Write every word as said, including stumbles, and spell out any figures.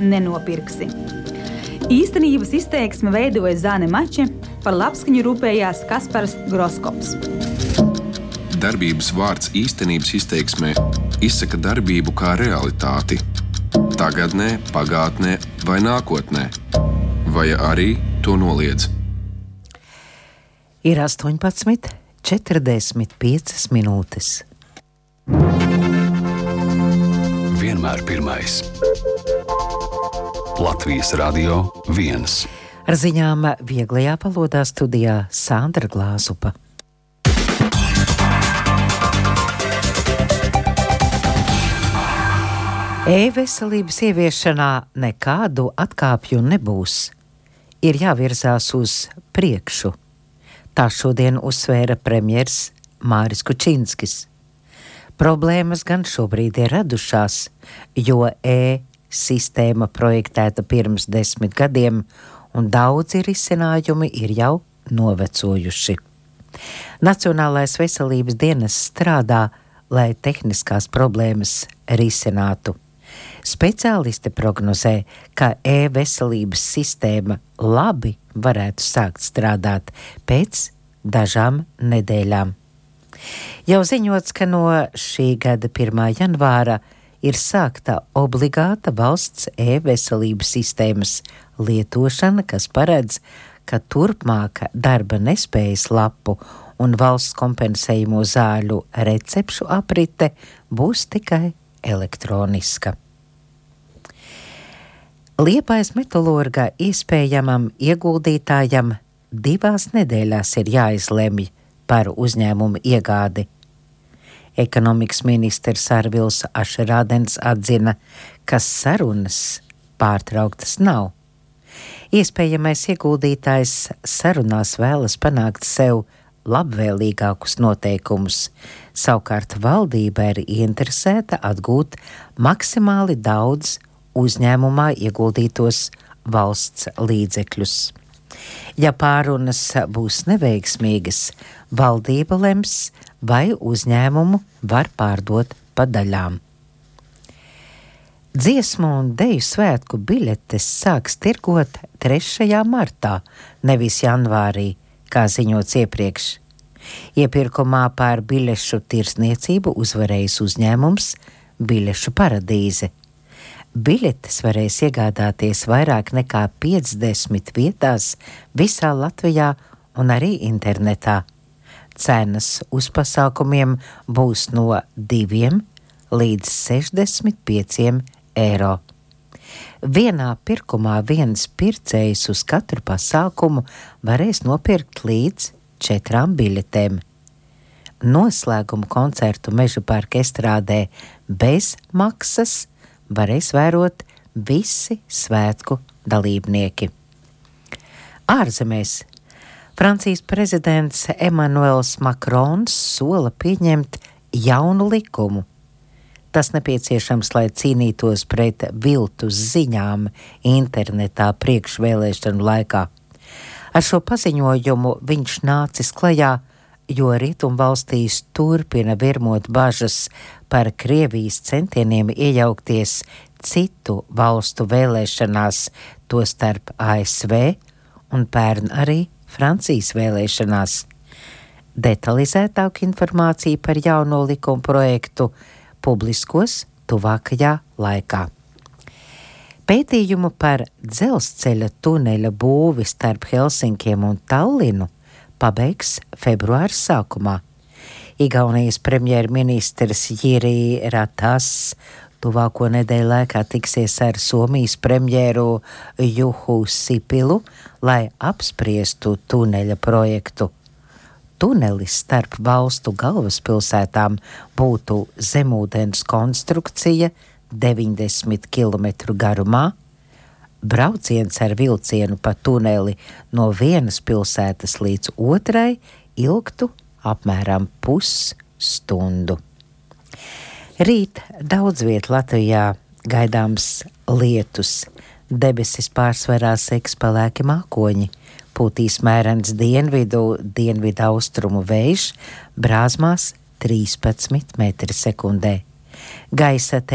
nenopirksi. Īstenības izteiksme veidoja Zane Mače, par labskaņu rūpējās Kaspars Groskops. Darbības vārds īstenības izteiksmē izsaka darbību kā realitāti. Tagadnē, pagātnē vai nākotnē. Vai arī to noliedz. Ir astoņpadsmit četrdesmit piecas minūtes. Vienmēr pirmais. Latvijas Radio viens. Ar ziņām vieglajā valodā studijā Sandra Glāzupa. E-veselības ieviešanā nekādu atkāpju nebūs. Ir jāvirzās uz priekšu. Tā šodien uzsvēra premjers Māris Kučinskis. Problēmas gan šobrīd ir radušās, jo e-sistēma projektēta pirms desmit gadiem un daudzi risinājumi ir jau novecojuši. Nacionālais veselības dienests strādā, lai tehniskās problēmas risinātu. Speciālisti prognozē, ka e-veselības sistēma labi varētu sākt strādāt pēc dažām nedēļām. Jau ziņots, ka no šī gada pirmā janvāra ir sākta obligāta valsts e-veselības sistēmas lietošana, kas paredz, ka turpmāk darba nespējas lapu un valsts kompensējumu zāļu recepšu aprite būs tikai elektroniska. Liepājas metalurga iespējamam ieguldītājam divās nedēļās ir jāizlemj par uzņēmumu iegādi. Ekonomikas ministrs Arvils Ašerādens atzina, ka sarunas pārtrauktas nav. Iespējamais ieguldītājs sarunās vēlas panākt sev labvēlīgākus noteikumus. Savukārt valdība ir ieinteresēta atgūt maksimāli daudz uzņēmumā ieguldītos valsts līdzekļus. Ja pārunas būs neveiksmīgas, valdība lems, vai uzņēmumu var pārdot pa daļām. Dziesmu un deju svētku biļetes sāks tirgot trešajā martā, nevis janvārī, kā ziņots iepriekš. Iepirkumā pār biļešu tirsniecību uzvarējis uzņēmums Biļešu paradīze. Biļetes varēs iegādāties vairāk nekā piecdesmit vietās visā Latvijā un arī internetā. Cenas uz pasākumiem būs no diviem līdz sešdesmit pieciem eiro. Vienā pirkumā viens pircējs uz katru pasākumu varēs nopirkt līdz četrām biļetēm. Noslēguma koncertu Meža parka estrādē bez maksas varēs vērot visi svētku dalībnieki. Ārzemēs Francijas prezidents Emmanuels Macrons sola pieņemt jaunu likumu. Tas nepieciešams, lai cīnītos pret viltus ziņām internetā priekšvēlēšanu laikā. Ar šo paziņojumu viņš nācis klajā, jo rietumvalstīs turpina virmot bažas par Krievijas centieniem iejaukties citu valstu vēlēšanās, tostarp A S V un pērn arī Francijas vēlēšanās. Detalizētāku informāciju par jauno likuma projektu publiskos tuvākajā laikā. Pētījumu par dzelzceļa tuneļa būvi starp Helsinkiem un Tallinu pabeigs februāra sākumā. Igaunijas premjerministrs Jiri Ratas tuvāko nedēļu laikā tiksies ar Somijas premjeru Juhu Sipilu, lai apspriestu tuneļa projektu. Tunelis starp valstu galvaspilsētām būtu zemūdens konstrukcija deviņdesmit kilometru garumā. Brauciens ar vilcienu pa tuneli no vienas pilsētas līdz otrai ilgtu apmēram pusstundu. Rīt daudz viet Latvijā gaidāms lietus. Debesis pārsvarā seks pelēki mākoņi. Pūtīs mērens dienvidu, dienvidu austrumu vējš, brāzmās trīspadsmit metri sekundē. Gaisa